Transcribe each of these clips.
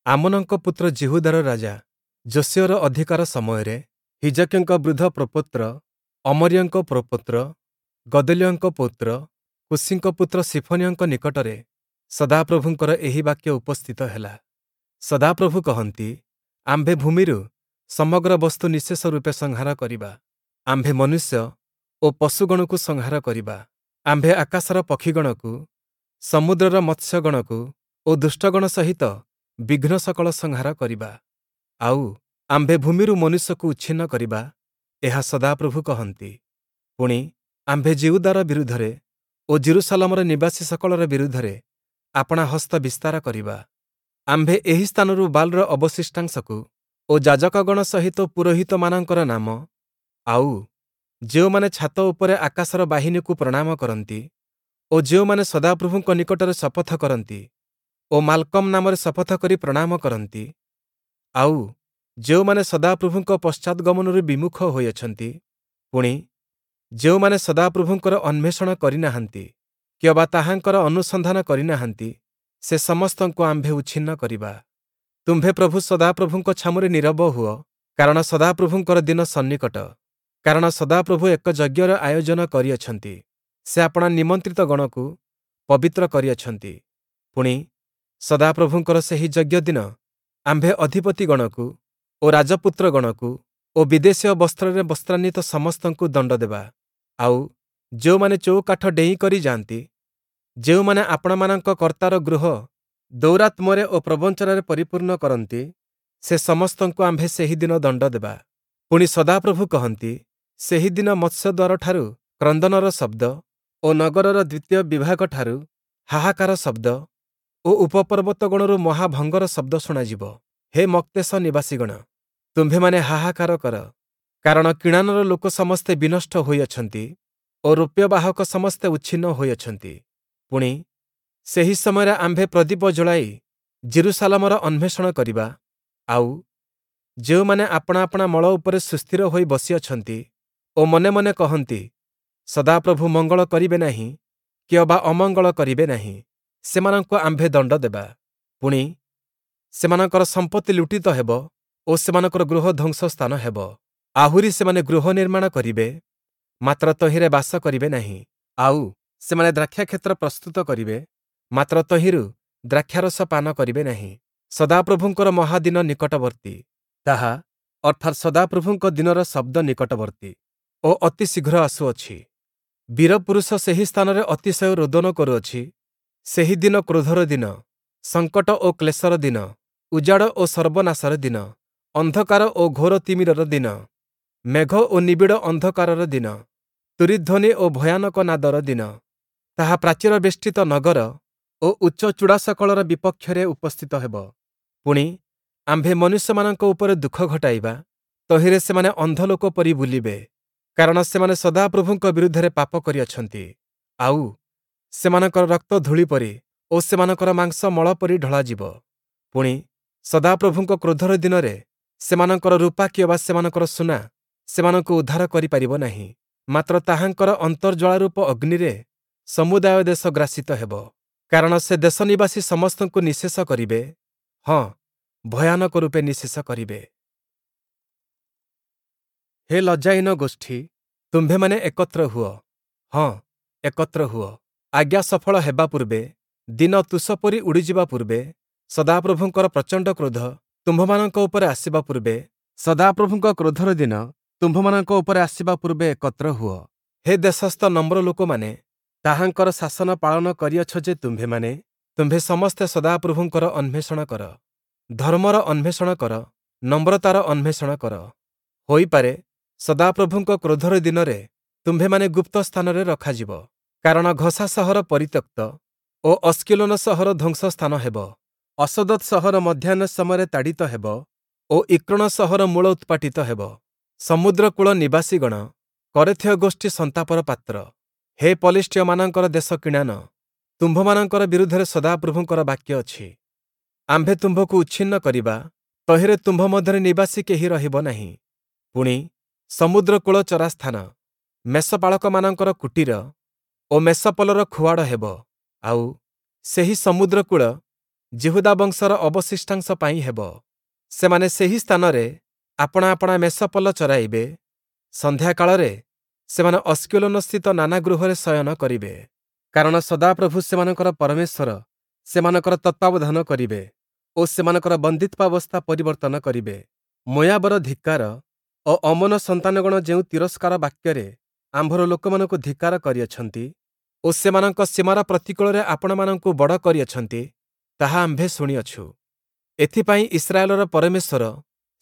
ଆମୋନଙ୍କ ପୁତ୍ର ଯିହୁଦାର ରାଜା ଯୋଶୀୟର ଅଧିକାର ସମୟରେ ହିଜକିୟଙ୍କ ବୃଦ୍ଧ ପ୍ରପୌତ୍ର ଅମରୀୟଙ୍କ ପ୍ରପୌତ୍ର ଗଦଲିୟଙ୍କ ପୌତ୍ର କୂଶୀଙ୍କ ପୁତ୍ର ସିଫନିୟଙ୍କ ନିକଟରେ ସଦାପ୍ରଭୁଙ୍କର ଏହି ବାକ୍ୟ ଉପସ୍ଥିତ ହେଲା। ସଦାପ୍ରଭୁ କହନ୍ତି, ଆମ୍ଭେ ଭୂମିରୁ ସମଗ୍ର ବସ୍ତୁ ନିଃଶେଷ ରୂପେ ସଂହାର କରିବା। ଆମ୍ଭେ ମନୁଷ୍ୟ ଓ ପଶୁଗଣକୁ ସଂହାର କରିବା। ଆମ୍ଭେ ଆକାଶର ପକ୍ଷୀଗଣକୁ, ସମୁଦ୍ରର ମତ୍ସ୍ୟଗଣକୁ ଓ ଦୁଷ୍ଟଗଣ ସହିତ ବିଘ୍ନ ସକଳ ସଂହାର କରିବା। ଆଉ, ଆମ୍ଭେ ଭୂମିରୁ ମନୁଷ୍ୟକୁ ଉଚ୍ଛିନ୍ନ କରିବା, ଏହା ସଦାପ୍ରଭୁ କହନ୍ତି। ପୁଣି, ଆମ୍ଭେ ଯିହୁଦାର ବିରୁଦ୍ଧରେ ଓ ଯିରୂଶାଲମର ନିବାସୀ ସକଳର ବିରୁଦ୍ଧରେ ଆପଣା ହସ୍ତ ବିସ୍ତାର କରିବା। ଆମ୍ଭେ ଏହି ସ୍ଥାନରୁ ବାଲ୍‌ର ଅବଶିଷ୍ଟାଂଶକୁ ଓ ଯାଜକଗଣ ସହିତ ପୁରୋହିତମାନଙ୍କର ନାମ, ଆଉ, ଯେଉଁମାନେ ଛାତ ଉପରେ ଆକାଶର ବାହିନୀକୁ ପ୍ରଣାମ କରନ୍ତି ଓ ଯେଉଁମାନେ ସଦାପ୍ରଭୁଙ୍କ ନିକଟରେ ଶପଥ କରନ୍ତି ଓ ମାଲ୍‌କମ୍ ନାମରେ ଶପଥ କରି ପ୍ରଣାମ କରନ୍ତି, ଆଉ, ଯେଉଁମାନେ ସଦାପ୍ରଭୁଙ୍କ ପଶ୍ଚାଦ୍‌ଗମନରୁ ବିମୁଖ ହୋଇଅଛନ୍ତି, ପୁଣି, ଯେଉଁମାନେ ସଦାପ୍ରଭୁଙ୍କର ଅନ୍ୱେଷଣ କରିନାହାନ୍ତି କିଅବା ତାହାଙ୍କର ଅନୁସନ୍ଧାନ କରିନାହାନ୍ତି, ସେ ସମସ୍ତଙ୍କୁ ଆମ୍ଭେ ଉଚ୍ଛିନ୍ନ କରିବା। ତୁମ୍ଭେ ପ୍ରଭୁ ସଦାପ୍ରଭୁଙ୍କ ଛାମୁରେ ନୀରବ ହୁଅ, କାରଣ ସଦାପ୍ରଭୁଙ୍କର ଦିନ ସନ୍ନିକଟ। କାରଣ ସଦାପ୍ରଭୁ ଏକ ଯଜ୍ଞର ଆୟୋଜନ କରିଅଛନ୍ତି, ସେ ଆପଣା ନିମନ୍ତ୍ରିତ ଗଣକୁ ପବିତ୍ର କରିଅଛନ୍ତି। ପୁଣି, ସଦାପ୍ରଭୁଙ୍କର ସେହି ଯଜ୍ଞ ଦିନ ଆମ୍ଭେ ଅଧିପତିଗଣକୁ ଓ ରାଜପୁତ୍ରଗଣକୁ ଓ ବିଦେଶୀୟ ବସ୍ତ୍ରରେ ବସ୍ତ୍ରାନ୍ୱିତ ସମସ୍ତଙ୍କୁ ଦଣ୍ଡ ଦେବା। ଆଉ, ଯେଉଁମାନେ ଚଉକାଠ ଡେଇଁ କରି ଯାଆନ୍ତି, ଯେଉଁମାନେ ଆପଣାମାନଙ୍କ କର୍ତ୍ତାର ଗୃହ ଦୌରାତ୍ମ୍ୟରେ ଓ ପ୍ରବଞ୍ଚନାରେ ପରିପୂର୍ଣ୍ଣ କରନ୍ତି, ସେ ସମସ୍ତଙ୍କୁ ଆମ୍ଭେ ସେହି ଦିନ ଦଣ୍ଡ ଦେବା। ପୁଣି ସଦାପ୍ରଭୁ କହନ୍ତି, ସେହି ଦିନ ମତ୍ସ୍ୟଦ୍ୱାରଠାରୁ କ୍ରନ୍ଦନର ଶବ୍ଦ ଓ ନଗରର ଦ୍ୱିତୀୟ ବିଭାଗଠାରୁ ହାହାକାର ଶବ୍ଦ ଓ ଉପପର୍ବତଗଣରୁ ମହାଭଙ୍ଗର ଶବ୍ଦ ଶୁଣାଯିବ। ହେ ମକ୍ତେଶ ନିବାସୀଗଣ, ତୁମ୍ଭେମାନେ ହାହାକାର କର, କାରଣ କିଣାନର ଲୋକ ସମସ୍ତେ ବିନଷ୍ଟ ହୋଇଅଛନ୍ତି ଓ ରୌପ୍ୟବାହକ ସମସ୍ତେ ଉଚ୍ଛିନ୍ନ ହୋଇଅଛନ୍ତି। ପୁଣି, ସେହି ସମୟରେ ଆମ୍ଭେ ପ୍ରଦୀପ ଜଳାଇ ଯିରୂଶାଲମର ଅନ୍ୱେଷଣ କରିବା, ଆଉ, ଯେଉଁମାନେ ଆପଣା ଆପଣା ମଳ ଉପରେ ସୁସ୍ଥିର ହୋଇ ବସିଅଛନ୍ତି ଓ ମନେ ମନେ କହନ୍ତି, ସଦାପ୍ରଭୁ ମଙ୍ଗଳ କରିବେ ନାହିଁ କିଅବା ଅମଙ୍ଗଳ କରିବେ ନାହିଁ, ସେମାନଙ୍କୁ ଆମ୍ଭେ ଦଣ୍ଡ ଦେବା। ପୁଣି, ସେମାନଙ୍କର ସମ୍ପତ୍ତି ଲୁଟିତ ହେବ ଓ ସେମାନଙ୍କର ଗୃହ ଧ୍ୱଂସ ସ୍ଥାନ ହେବ। ଆହୁରି ସେମାନେ ଗୃହ ନିର୍ମାଣ କରିବେ, ମାତ୍ର ତହିଁରେ ବାସ କରିବେ ନାହିଁ। ଆଉ, ସେମାନେ ଦ୍ରାକ୍ଷାକ୍ଷେତ୍ର ପ୍ରସ୍ତୁତ କରିବେ, ମାତ୍ର ତହିଁରୁ ଦ୍ରାକ୍ଷାରସ ପାନ କରିବେ ନାହିଁ। ସଦାପ୍ରଭୁଙ୍କର ମହାଦିନ ନିକଟବର୍ତ୍ତୀ, ତାହା, ଅର୍ଥାତ୍ ସଦାପ୍ରଭୁଙ୍କ ଦିନର ଶବ୍ଦ ନିକଟବର୍ତ୍ତୀ ଓ ଅତି ଶୀଘ୍ର ଆସୁଅଛି। ବୀରପୁରୁଷ ସେହି ସ୍ଥାନରେ ଅତିଶୟ ରୋଦନ କରୁଅଛି। ସେହି ଦିନ କ୍ରୋଧର ଦିନ, ସଙ୍କଟ ଓ କ୍ଲେଶର ଦିନ, ଉଜାଡ଼ ଓ ସର୍ବନାଶର ଦିନ, ଅନ୍ଧକାର ଓ ଘୋର ତିମିରର ଦିନ, ମେଘ ଓ ନିବିଡ଼ ଅନ୍ଧକାରର ଦିନ, ତୂରୀଧ୍ୱନି ଓ ଭୟାନକ ନାଦର ଦିନ। ତାହା ପ୍ରାଚୀର ବେଷ୍ଟିତ ନଗର ଓ ଉଚ୍ଚ ଚୂଡ଼ାସକଳର ବିପକ୍ଷରେ ଉପସ୍ଥିତ ହେବ। ପୁଣି, ଆମ୍ଭେ ମନୁଷ୍ୟମାନଙ୍କ ଉପରେ ଦୁଃଖ ଘଟାଇବା, ତହିଁରେ ସେମାନେ ଅନ୍ଧ ଲୋକ ପରି ବୁଲିବେ, କାରଣ ସେମାନେ ସଦାପ୍ରଭୁଙ୍କ ବିରୁଦ୍ଧରେ ପାପ କରିଅଛନ୍ତି। ଆଉ, ସେମାନଙ୍କର ରକ୍ତ ଧୂଳି ପରି ଓ ସେମାନଙ୍କର ମାଂସ ମଳ ପରି ଢଳାଯିବ। ପୁଣି, ସଦାପ୍ରଭୁଙ୍କ କ୍ରୋଧର ଦିନରେ ସେମାନଙ୍କର ରୂପା କିଅବା ସେମାନଙ୍କର ସୁନା ସେମାନଙ୍କୁ ଉଦ୍ଧାର କରିପାରିବ ନାହିଁ, ମାତ୍ର ତାହାଙ୍କର ଅନ୍ତର୍ଜ୍ୱାଳାରୂପ ଅଗ୍ନିରେ ସମୁଦାୟ ଦେଶ ଗ୍ରାସିତ ହେବ। କାରଣ ସେ ଦେଶ ନିବାସୀ ସମସ୍ତଙ୍କୁ ନିଃଶେଷ କରିବେ, ହଁ, ଭୟାନକ ରୂପେ ନିଃଶେଷ କରିବେ। ହେ ଲଜ୍ଜାହୀନ ଗୋଷ୍ଠୀ, ତୁମ୍ଭେମାନେ ଏକତ୍ର ହୁଅ, ହଁ, ଏକତ୍ର ହୁଅ। ଆଜ୍ଞା ସଫଳ ହେବା ପୂର୍ବେ, ଦିନ ତୁଷ ପରି ଉଡ଼ିଯିବା ପୂର୍ବେ, ସଦାପ୍ରଭୁଙ୍କର ପ୍ରଚଣ୍ଡ କ୍ରୋଧ ତୁମ୍ଭମାନଙ୍କ ଉପରେ ଆସିବା ପୂର୍ବେ, ସଦାପ୍ରଭୁଙ୍କ କ୍ରୋଧର ଦିନ ତୁମ୍ଭମାନଙ୍କ ଉପରେ ଆସିବା ପୂର୍ବେ ଏକତ୍ର ହୁଅ। ହେ ଦେଶସ୍ଥ ନମ୍ର ଲୋକମାନେ, ତାହାଙ୍କର ଶାସନ ପାଳନ କରିଅଛ ଯେ ତୁମ୍ଭେମାନେ, ତୁମ୍ଭେ ସମସ୍ତେ ସଦାପ୍ରଭୁଙ୍କର ଅନ୍ୱେଷଣ କର। ଧର୍ମର ଅନ୍ୱେଷଣ କର, ନମ୍ରତାର ଅନ୍ୱେଷଣ କର। ହୋଇପାରେ, ସଦାପ୍ରଭୁଙ୍କ କ୍ରୋଧର ଦିନରେ ତୁମ୍ଭେମାନେ ଗୁପ୍ତ ସ୍ଥାନରେ ରଖାଯିବ। କାରଣ ଘସା ସହର ପରିତ୍ୟକ୍ତ ଓ ଅସ୍କିଲୋନ ସହର ଧ୍ୱଂସ ସ୍ଥାନ ହେବ। ଅଶଦୋତ୍ ସହର ମଧ୍ୟାହ୍ନ ସମୟରେ ତାଡ଼ିତ ହେବ ଓ ଇକ୍ରୋଣ ସହର ମୂଳ ଉତ୍ପାଟିତ ହେବ। ସମୁଦ୍ରକୂଳ ନିବାସୀଗଣ, କରେଥୀୟ ଗୋଷ୍ଠୀ ସନ୍ତାପର ପାତ୍ର। ହେ ପଲେଷ୍ଟୀୟମାନଙ୍କର ଦେଶ କିଣାନ, ତୁମ୍ଭମାନଙ୍କର ବିରୁଦ୍ଧରେ ସଦାପ୍ରଭୁଙ୍କର ବାକ୍ୟ ଅଛି। ଆମ୍ଭେ ତୁମ୍ଭକୁ ଉଚ୍ଛିନ୍ନ କରିବା, ତହିଁରେ ତୁମ୍ଭ ମଧ୍ୟରେ ନିବାସୀ କେହି ରହିବ ନାହିଁ। ପୁଣି, ସମୁଦ୍ରକୂଳ ଚରାସ୍ଥାନ, ମେଷପାଳକମାନଙ୍କର କୁଟୀର ଓ ମେଷପଲର ଖୁଆଡ଼ ହେବ। ଆଉ, ସେହି ସମୁଦ୍ରକୂଳ ଯିହୁଦା ବଂଶର ଅବଶିଷ୍ଟାଂଶ ପାଇଁ ହେବ। ସେମାନେ ସେହି ସ୍ଥାନରେ ଆପଣା ଆପଣା ମେଷପଲ ଚରାଇବେ। ସନ୍ଧ୍ୟାକାଳରେ ସେମାନେ ଅସ୍କେଲୋନସ୍ଥିତ ନାନା ଗୃହରେ ଶୟନ କରିବେ। କାରଣ ସଦାପ୍ରଭୁ ସେମାନଙ୍କର ପରମେଶ୍ୱର ସେମାନଙ୍କର ତତ୍ତ୍ୱାବଧାନ କରିବେ ଓ ସେମାନଙ୍କର ବନ୍ଦୀତ୍ୱାବସ୍ଥା ପରିବର୍ତ୍ତନ କରିବେ। ମୋୟାବର ଧିକ୍କାର ଓ ଅମ୍ମୋନ ସନ୍ତାନଗଣ ଯେଉଁ ତିରସ୍କାର ବାକ୍ୟରେ ଆମ୍ଭର ଲୋକମାନଙ୍କୁ ଧିକ୍କାର କରିଅଛନ୍ତି ଓ ସେମାନଙ୍କ ସୀମାର ପ୍ରତିକୂଳରେ ଆପଣାମାନଙ୍କୁ ବଡ଼ କରିଅଛନ୍ତି, ତାହା ଆମ୍ଭେ ଶୁଣିଅଛୁ। ଏଥିପାଇଁ ଇସ୍ରାଏଲର ପରମେଶ୍ୱର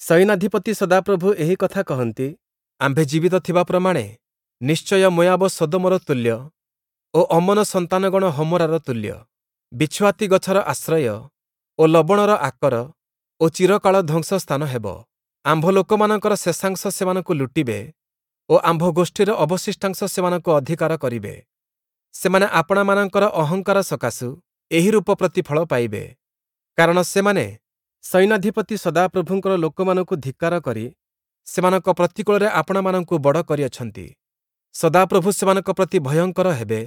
ସୈନ୍ୟାଧିପତି ସଦାପ୍ରଭୁ ଏହି କଥା କହନ୍ତି, ଆମ୍ଭେ ଜୀବିତ ଥିବା ପ୍ରମାଣେ ନିଶ୍ଚୟ ମୋୟାବ ସଦୋମର ତୁଲ୍ୟ ଓ ଅମ୍ମୋନ ସନ୍ତାନଗଣ ହମୋରାର ତୁଲ୍ୟ, ବିଛୁଆତି ଗଛର ଆଶ୍ରୟ ଓ ଲବଣର ଆକର ଓ ଚିରକାଳ ଧ୍ୱଂସ ସ୍ଥାନ ହେବ। ଆମ୍ଭ ଲୋକମାନଙ୍କର ଶେଷାଂଶ ସେମାନଙ୍କୁ ଲୁଟିବେ ଓ ଆମ୍ଭ ଗୋଷ୍ଠୀର ଅବଶିଷ୍ଟାଂଶ ସେମାନଙ୍କୁ ଅଧିକାର କରିବେ। ସେମାନେ ଆପଣାମାନଙ୍କର ଅହଙ୍କାର ସକାଶୁ ଏହି ରୂପ ପ୍ରତିଫଳ ପାଇବେ। କାରଣ ସେମାନେ ସୈନ୍ୟାଧିପତି ସଦାପ୍ରଭୁଙ୍କର ଲୋକମାନଙ୍କୁ ଧିକ୍କାର କରି ସେମାନଙ୍କ ପ୍ରତିକୂଳରେ ଆପଣାମାନଙ୍କୁ ବଡ଼ କରିଅଛନ୍ତି। ସଦାପ୍ରଭୁ ସେମାନଙ୍କ ପ୍ରତି ଭୟଙ୍କର ହେବେ,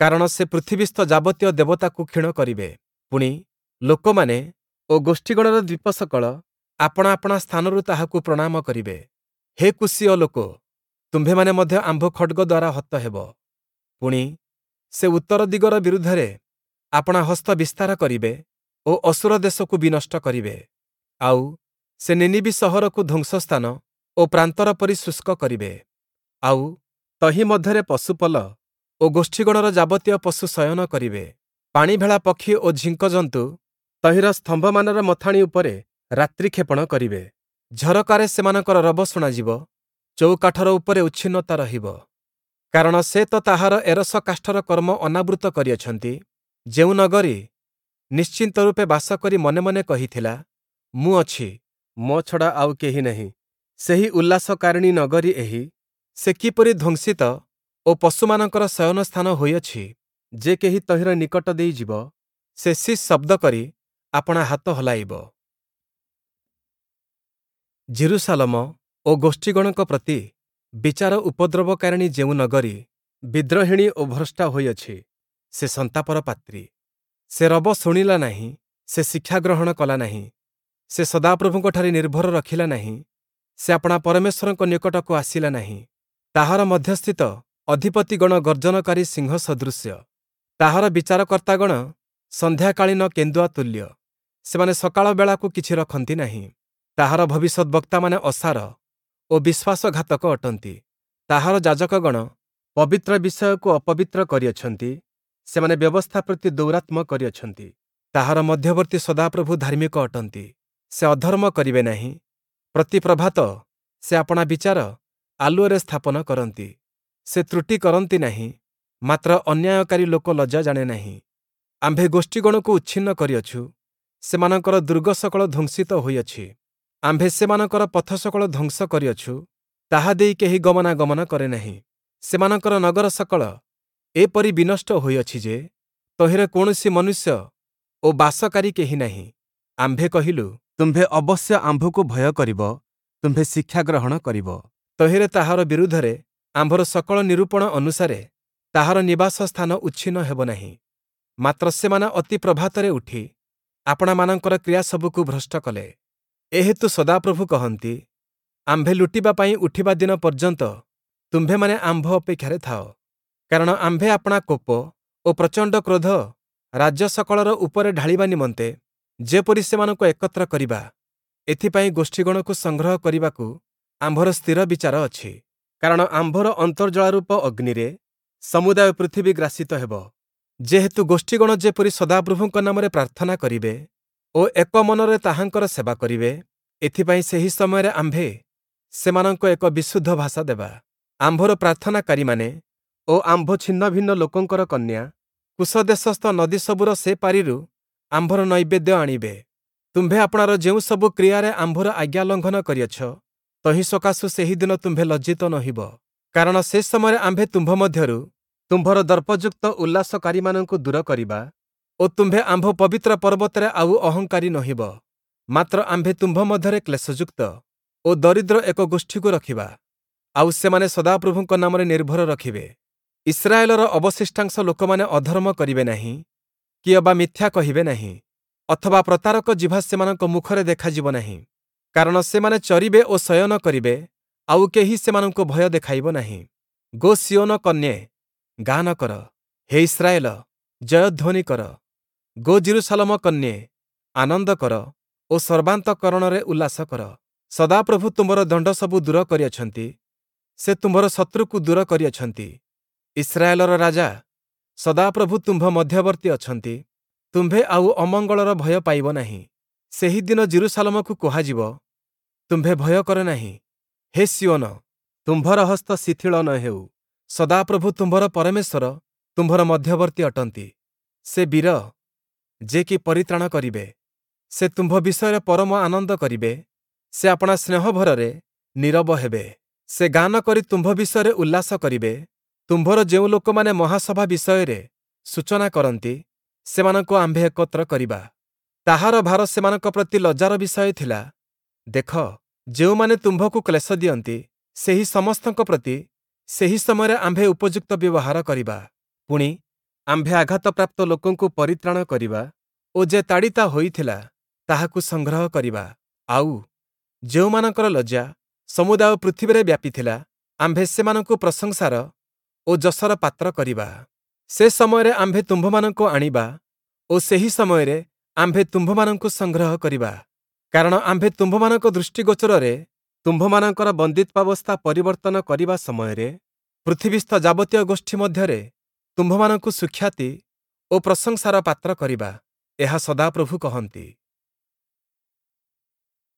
କାରଣ ସେ ପୃଥିବୀସ୍ଥ ଯାବତୀୟ ଦେବତାକୁ କ୍ଷୀଣ କରିବେ। ପୁଣି, ଲୋକମାନେ ଓ ଗୋଷ୍ଠୀଗଣର ଦ୍ୱୀପସକଳ ଆପଣା ଆପଣା ସ୍ଥାନରୁ ତାହାକୁ ପ୍ରଣାମ କରିବେ। ହେ କୂଶୀୟ ଲୋକ, ତୁମ୍ଭେମାନେ ମଧ୍ୟ ଆମ୍ଭ ଖଡ଼୍ଗ ଦ୍ୱାରା ହତ ହେବ। ପୁଣି, ସେ ଉତ୍ତର ଦିଗର ବିରୁଦ୍ଧରେ ଆପଣା ହସ୍ତ ବିସ୍ତାର କରିବେ ଓ ଅଶୂର ଦେଶକୁ ବିନଷ୍ଟ କରିବେ। ଆଉ ସେ ନିନିବି ସହରକୁ ଧ୍ୱଂସସ୍ଥାନ ଓ ପ୍ରାନ୍ତର ପରି ଶୁଷ୍କ କରିବେ। ଆଉ ତହିଁ ମଧ୍ୟରେ ପଶୁପଲ ଓ ଗୋଷ୍ଠୀଗଣର ଯାବତୀୟ ପଶୁ ଶୟନ କରିବେ। ପାଣିଭେଳା ପକ୍ଷୀ ଓ ଝିଙ୍କଜନ୍ତୁ ତହିଁର ସ୍ତମ୍ଭମାନର ମଥାଣି ଉପରେ ରାତ୍ରିକ୍ଷେପଣ କରିବେ। ଝରକାରେ ସେମାନଙ୍କର ରବ ଶୁଣାଯିବ, ଚଉକାଠର ଉପରେ ଉଚ୍ଛିନ୍ନତା ରହିବ। କାରଣ ସେ ତ ତାହାର ଏରସ କାଷ୍ଠର କର୍ମ ଅନାବୃତ କରିଅଛନ୍ତି। ଯେଉଁ ନଗରୀ ନିଶ୍ଚିନ୍ତ ରୂପେ ବାସ କରି ମନେ ମନେ କହିଥିଲା, ମୁଁ ଅଛି, ମୋ ଛଡ଼ା ଆଉ କେହି ନାହିଁ, ସେହି ଉଲ୍ଲାସକାରିଣୀ ନଗରୀ ଏହି, ସେ କିପରି ଧ୍ୱଂସିତ ଓ ପଶୁମାନଙ୍କର ଶୟନ ସ୍ଥାନ ହୋଇଅଛି! ଯେ କେହି ତହିଁର ନିକଟ ଦେଇ ଯିବ, ସେ ଶିସ୍ ଶବ୍ଦ କରି ଆପଣା ହାତ ହଲାଇବ। ଯିରୂଶାଲମ ଓ ଗୋଷ୍ଠୀଗଣଙ୍କ ପ୍ରତି ବିଚାର ଉପଦ୍ରବକାରିଣୀ ଯେଉଁ ନଗରୀ ବିଦ୍ରୋହିଣୀ ଓ ଭ୍ରଷ୍ଟା ହୋଇଅଛି, ସେ ସନ୍ତାପର ପାତ୍ରୀ। ସେ ରବ ଶୁଣିଲା ନାହିଁ, ସେ ଶିକ୍ଷା ଗ୍ରହଣ କଲା ନାହିଁ, ସେ ସଦାପ୍ରଭୁଙ୍କଠାରେ ନିର୍ଭର ରଖିଲା ନାହିଁ, ସେ ଆପଣା ପରମେଶ୍ୱରଙ୍କ ନିକଟକୁ ଆସିଲା ନାହିଁ। ତାହାର ମଧ୍ୟସ୍ଥିତ ଅଧିପତିଗଣ ଗର୍ଜନକାରୀ ସିଂହ ସଦୃଶ୍ୟ, ତାହାର ବିଚାରକର୍ତ୍ତାଗଣ ସନ୍ଧ୍ୟାକାଳୀନ କେନ୍ଦୁଆ ତୁଲ୍ୟ, ସେମାନେ ସକାଳ ବେଳାକୁ କିଛି ରଖନ୍ତି ନାହିଁ। ତାହାର ଭବିଷ୍ୟଦ୍‌ବକ୍ତାମାନେ ଅସାର ଓ ବିଶ୍ୱାସଘାତକ ଅଟନ୍ତି। ତାହାର ଯାଜକଗଣ ପବିତ୍ର ବିଷୟକୁ ଅପବିତ୍ର କରିଅଛନ୍ତି, ସେମାନେ ବ୍ୟବସ୍ଥା ପ୍ରତି ଦୌରାତ୍ମ୍ୟ କରିଅଛନ୍ତି। ତାହାର ମଧ୍ୟବର୍ତ୍ତୀ ସଦାପ୍ରଭୁ ଧାର୍ମିକ ଅଟନ୍ତି, ସେ ଅଧର୍ମ କରିବେ ନାହିଁ। ପ୍ରତି ପ୍ରଭାତ ସେ ଆପଣା ବିଚାର ଆଲୁଅରେ ସ୍ଥାପନ କରନ୍ତି। ସେ ତ୍ରୁଟି କରନ୍ତି ନାହିଁ, ମାତ୍ର ଅନ୍ୟାୟକାରୀ ଲୋକ ଲଜ୍ଜା ଜାଣେ ନାହିଁ। ଆମ୍ଭେ ଗୋଷ୍ଠୀଗଣକୁ ଉଚ୍ଛିନ୍ନ କରିଅଛୁ, ସେମାନଙ୍କର ଦୁର୍ଗ ସକଳ ଧ୍ୱଂସିତ ହୋଇଅଛି। ଆମ୍ଭେ ସେମାନଙ୍କର ପଥ ସକଳ ଧ୍ୱଂସ କରିଅଛୁ, ତାହା ଦେଇ କେହି ଗମନାଗମନ କରେ ନାହିଁ। ସେମାନଙ୍କର ନଗର ସକଳ ଏପରି ବିନଷ୍ଟ ହୋଇଅଛି ଯେ, ତହିଁରେ କୌଣସି ମନୁଷ୍ୟ ଓ ବାସକାରୀ କେହି ନାହିଁ। ଆମ୍ଭେ କହିଲୁ, ତୁମ୍ଭେ ଅବଶ୍ୟ ଆମ୍ଭକୁ ଭୟ କରିବ, ତୁମ୍ଭେ ଶିକ୍ଷା ଗ୍ରହଣ କରିବ। ତହିଁରେ ତାହାର ବିରୁଦ୍ଧରେ ଆମ୍ଭର ସକଳ ନିରୂପଣ ଅନୁସାରେ ତାହାର ନିବାସ ସ୍ଥାନ ଉଚ୍ଛିନ୍ନ ହେବ ନାହିଁ। ମାତ୍ର ସେମାନେ ଅତି ପ୍ରଭାତରେ ଉଠି ଆପଣାମାନଙ୍କର କ୍ରିୟାସବୁକୁ ଭ୍ରଷ୍ଟ କଲେ। ଏହେତୁ ସଦାପ୍ରଭୁ କହନ୍ତି, ଆମ୍ଭେ ଲୁଟିବା ପାଇଁ ଉଠିବା ଦିନ ପର୍ଯ୍ୟନ୍ତ ତୁମ୍ଭେମାନେ ଆମ୍ଭ ଅପେକ୍ଷାରେ ଥାଅ। କାରଣ ଆମ୍ଭେ ଆପଣା କୋପ ଓ ପ୍ରଚଣ୍ଡ କ୍ରୋଧ ରାଜ୍ୟ ସକଳର ଉପରେ ଢାଳିବା ନିମନ୍ତେ ଯେପରି ସେମାନଙ୍କୁ ଏକତ୍ର କରିବା, ଏଥିପାଇଁ ଗୋଷ୍ଠୀଗଣକୁ ସଂଗ୍ରହ କରିବାକୁ ଆମ୍ଭର ସ୍ଥିର ବିଚାର ଅଛି। କାରଣ ଆମ୍ଭର ଅନ୍ତର୍ଜ୍ୱାଳାରୂପ ଅଗ୍ନିରେ ସମୁଦାୟ ପୃଥିବୀ ଗ୍ରାସିତ ହେବ। ଯେହେତୁ ଗୋଷ୍ଠୀଗଣ ଯେପରି ସଦାପ୍ରଭୁଙ୍କ ନାମରେ ପ୍ରାର୍ଥନା କରିବେ ଓ ଏକ ମନରେ ତାହାଙ୍କର ସେବା କରିବେ, ଏଥିପାଇଁ ସେହି ସମୟରେ ଆମ୍ଭେ ସେମାନଙ୍କୁ ଏକ ବିଶୁଦ୍ଧ ଭାଷା ଦେବା। ଆମ୍ଭର ପ୍ରାର୍ଥନାକାରୀମାନେ ଓ ଆମ୍ଭ ଛିନ୍ନଭିନ୍ନ ଲୋକଙ୍କର କନ୍ୟା କୁଶଦେଶସ୍ଥ ନଦୀସବୁର ସେ ପାରିରୁ ଆମ୍ଭର ନୈବେଦ୍ୟ ଆଣିବେ। ତୁମ୍ଭେ ଆପଣାର ଯେଉଁ ସବୁ କ୍ରିୟାରେ ଆମ୍ଭର ଆଜ୍ଞା ଲଙ୍ଘନ କରିଅଛ, ତହିଁ ସକାଶୁ ସେହି ଦିନ ତୁମ୍ଭେ ଲଜ୍ଜିତ ନୋହିବ। କାରଣ ସେ ସମୟରେ ଆମ୍ଭେ ତୁମ୍ଭ ମଧ୍ୟରୁ ତୁମ୍ଭର ଦର୍ପଯୁକ୍ତ ଉଲ୍ଲାସକାରୀମାନଙ୍କୁ ଦୂର କରିବା ଓ ତୁମ୍ଭେ ଆମ୍ଭ ପବିତ୍ର ପର୍ବତରେ ଆଉ ଅହଙ୍କାରୀ ନୋହିବ। ମାତ୍ର ଆମ୍ଭେ ତୁମ୍ଭ ମଧ୍ୟରେ କ୍ଲେଶଯୁକ୍ତ ଓ ଦରିଦ୍ର ଏକ ଗୋଷ୍ଠୀକୁ ରଖିବା, ଆଉ ସେମାନେ ସଦାପ୍ରଭୁଙ୍କ ନାମରେ ନିର୍ଭର ରଖିବେ। ଇସ୍ରାଏଲର ଅବଶିଷ୍ଟାଂଶ ଲୋକମାନେ ଅଧର୍ମ କରିବେ ନାହିଁ କି ଅବା ମିଥ୍ୟା କହିବେ ନାହିଁ। ଅଥବା ପ୍ରତାରକ ଜିଭ ସେମାନଙ୍କ ମୁଖରେ ଦେଖାଯିବ ନାହିଁ। କାରଣ ସେମାନେ ଚରିବେ ଓ ଶୟନ କରିବେ, ଆଉ କେହି ସେମାନଙ୍କୁ ଭୟ ଦେଖାଇବ ନାହିଁ। ଗୋ ସିୟୋନ କନ୍ୟେ, ଗାନ କର; ହେ ଇସ୍ରାଏଲ, ଜୟଧ୍ୱନି କର! ଗୋ ଯିରୂଶାଲମ କନ୍ୟେ, ଆନନ୍ଦ କର ଓ ସର୍ବାନ୍ତଃକରଣରେ ଉଲ୍ଲାସ କର। ସଦାପ୍ରଭୁ ତୁମ୍ଭର ଦଣ୍ଡସବୁ ଦୂର କରିଅଛନ୍ତି; ସେ ତୁମ୍ଭର ଶତ୍ରୁକୁ ଦୂର କରିଅଛନ୍ତି। ଇସ୍ରାଏଲର ରାଜା ସଦାପ୍ରଭୁ ତୁମ୍ଭ ମଧ୍ୟବର୍ତ୍ତୀ ଅଛନ୍ତି; ତୁମ୍ଭେ ଆଉ ଅମଙ୍ଗଳର ଭୟ ପାଇବ ନାହିଁ। ସେହି ଦିନ ଯିରୂଶାଲମକୁ କୁହାଯିବ, ତୁମ୍ଭେ ଭୟ କର ନାହିଁ; ହେ ସିୟୋନ, ତୁମ୍ଭର ହସ୍ତ ଶିଥିଳ ନ ହେଉ। ସଦାପ୍ରଭୁ ତୁମ୍ଭର ପରମେଶ୍ୱର ତୁମ୍ଭର ମଧ୍ୟବର୍ତ୍ତୀ ଅଟନ୍ତି; ସେ ବୀର, ଯେ କି ପରିତ୍ରାଣ କରିବେ। ସେ ତୁମ୍ଭ ବିଷୟରେ ପରମ ଆନନ୍ଦ କରିବେ; ସେ ଆପଣା ସ୍ନେହଭରରେ ନୀରବ ହେବେ। ସେ ଗାନ କରି ତୁମ୍ଭ ବିଷୟରେ ଉଲ୍ଲାସ କରିବେ। ତୁମ୍ଭର ଯେଉଁ ଲୋକମାନେ ମହାସଭା ବିଷୟରେ ସୂଚନା କରନ୍ତି, ସେମାନଙ୍କୁ ଆମ୍ଭେ ଏକତ୍ର କରିବା। ତାହାର ଭାର ସେମାନଙ୍କ ପ୍ରତି ଲଜ୍ଜାର ବିଷୟ ଥିଲା। ଦେଖ, ଯେଉଁମାନେ ତୁମ୍ଭକୁ କ୍ଲେଶ ଦିଅନ୍ତି, ସେହି ସମସ୍ତଙ୍କ ପ୍ରତି ସେହି ସମୟରେ ଆମ୍ଭେ ଉପଯୁକ୍ତ ବ୍ୟବହାର କରିବା। ପୁଣି, ଆମ୍ଭେ ଆଘାତପ୍ରାପ୍ତ ଲୋକଙ୍କୁ ପରିତ୍ରାଣ କରିବା ଓ ଯେ ତାଡ଼ିତା ହୋଇଥିଲା, ତାହାକୁ ସଂଗ୍ରହ କରିବା। ଆଉ, ଯେଉଁମାନଙ୍କର ଲଜ୍ଜା ସମୁଦାୟ ପୃଥିବୀରେ ବ୍ୟାପିଥିଲା, ଆମ୍ଭେ ସେମାନଙ୍କୁ ପ୍ରଶଂସାର ଓ ଯଶର ପାତ୍ର କରିବା। ସେ ସମୟରେ ଆମ୍ଭେ ତୁମ୍ଭମାନଙ୍କୁ ଆଣିବା ଓ ସେହି ସମୟରେ ଆମ୍ଭେ ତୁମ୍ଭମାନଙ୍କୁ ସଂଗ୍ରହ କରିବା। କାରଣ ଆମ୍ଭେ ତୁମ୍ଭମାନଙ୍କ ଦୃଷ୍ଟିଗୋଚରରେ ତୁମ୍ଭମାନଙ୍କର ବନ୍ଦୀତ୍ୱାବସ୍ଥା ପରିବର୍ତ୍ତନ କରିବା ସମୟରେ ପୃଥିବୀସ୍ଥ ଯାବତୀୟ ଗୋଷ୍ଠୀ ମଧ୍ୟରେ ତୁମ୍ଭମାନଙ୍କୁ ସୁଖ୍ୟାତି ଓ ପ୍ରଶଂସାର ପାତ୍ର କରିବା। ଏହା ସଦାପ୍ରଭୁ କହନ୍ତି।